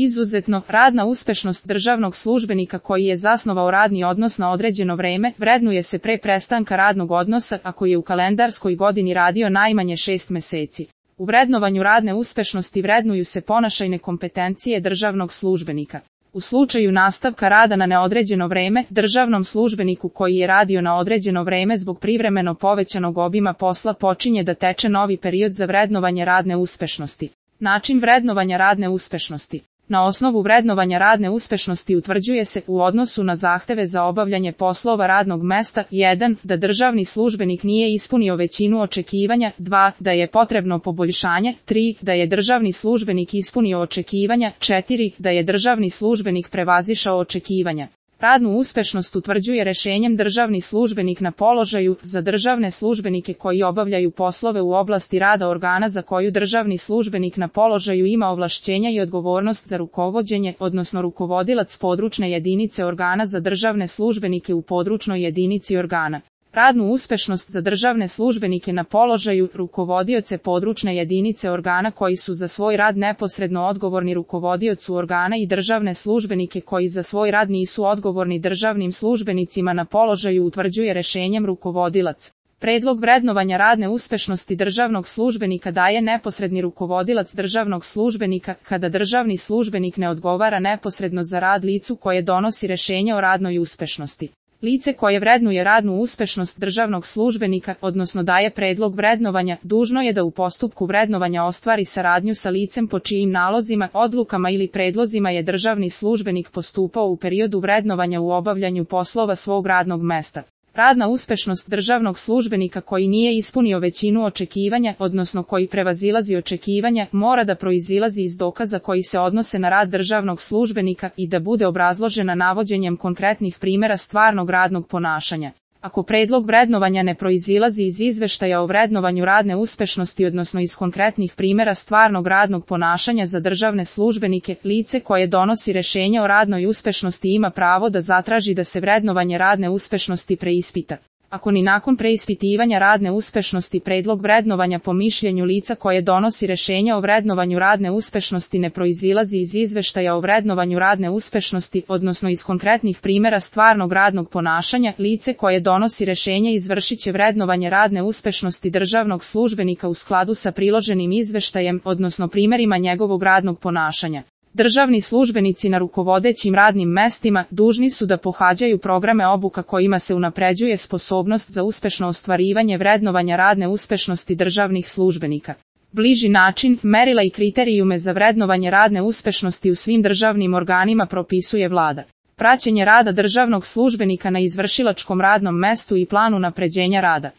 Izuzetno, radna uspešnost državnog službenika koji je zasnovao radni odnos na određeno vreme vrednuje se pre prestanka radnog odnosa ako je u kalendarskoj godini radio najmanje 6 meseci. U vrednovanju radne uspešnosti vrednuju se ponašajne kompetencije državnog službenika. U slučaju nastavka rada na neodređeno vreme, državnom službeniku koji je radio na određeno vreme zbog privremeno povećanog obima posla počinje da teče novi period za vrednovanje radne uspešnosti. Način vrednovanja radne uspešnosti. Na osnovu vrednovanja radne uspešnosti utvrđuje se u odnosu na zahteve za obavljanje poslova radnog mesta 1. da državni službenik nije ispunio većinu očekivanja, 2. da je potrebno poboljšanje, 3. da je državni službenik ispunio očekivanja, 4. da je državni službenik prevazišao očekivanja. Radnu uspešnost utvrđuje rešenjem državni službenik na položaju za državne službenike koji obavljaju poslove u oblasti rada organa za koju državni službenik na položaju ima ovlašćenja i odgovornost za rukovođenje, odnosno rukovodilac područne jedinice organa za državne službenike u područnoj jedinici organa. Radnu uspešnost za državne službenike na položaju rukovodioce područne jedinice organa koji su za svoj rad neposredno odgovorni rukovodiocu organa i državne službenike koji za svoj rad nisu odgovorni državnim službenicima na položaju utvrđuje rešenjem rukovodilac. Predlog vrednovanja radne uspešnosti državnog službenika daje neposredni rukovodilac državnog službenika kada državni službenik ne odgovara neposredno za rad licu koje donosi rešenje o radnoj uspešnosti. Lice koje vrednuje radnu uspešnost državnog službenika, odnosno daje predlog vrednovanja, dužno je da u postupku vrednovanja ostvari saradnju sa licem po čijim nalozima, odlukama ili predlozima je državni službenik postupao u periodu vrednovanja u obavljanju poslova svog radnog mesta. Radna uspešnost državnog službenika koji nije ispunio većinu očekivanja, odnosno koji prevazilazi očekivanja, mora da proizilazi iz dokaza koji se odnose na rad državnog službenika i da bude obrazložena navođenjem konkretnih primjera stvarnog radnog ponašanja. Ako predlog vrednovanja ne proizilazi iz izveštaja o vrednovanju radne uspešnosti, odnosno iz konkretnih primjera stvarnog radnog ponašanja za državne službenike, lice koje donosi rešenje o radnoj uspešnosti ima pravo da zatraži da se vrednovanje radne uspešnosti preispita. Ako ni nakon preispitivanja radne uspešnosti predlog vrednovanja po mišljenju lica koje donosi rešenje o vrednovanju radne uspešnosti ne proizilazi iz izveštaja o vrednovanju radne uspešnosti, odnosno iz konkretnih primjera stvarnog radnog ponašanja, lice koje donosi rešenje izvršit će vrednovanje radne uspešnosti državnog službenika u skladu sa priloženim izveštajem, odnosno primjerima njegovog radnog ponašanja. Državni službenici na rukovodećim radnim mestima dužni su da pohađaju programe obuka kojima se unapređuje sposobnost za uspešno ostvarivanje vrednovanja radne uspešnosti državnih službenika. Bliži način, merila i kriterijume za vrednovanje radne uspešnosti u svim državnim organima propisuje Vlada. Praćenje rada državnog službenika na izvršilačkom radnom mestu i plan unapređenja rada.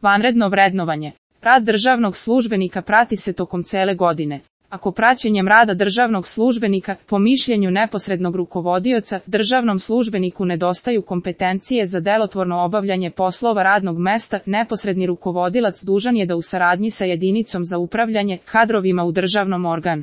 Vanredno vrednovanje. Rad državnog službenika prati se tokom cele godine. Ako praćenjem rada državnog službenika, po mišljenju neposrednog rukovodioca, državnom službeniku nedostaju kompetencije za delotvorno obavljanje poslova radnog mesta, neposredni rukovodilac dužan je da u saradnji sa jedinicom za upravljanje kadrovima u državnom organu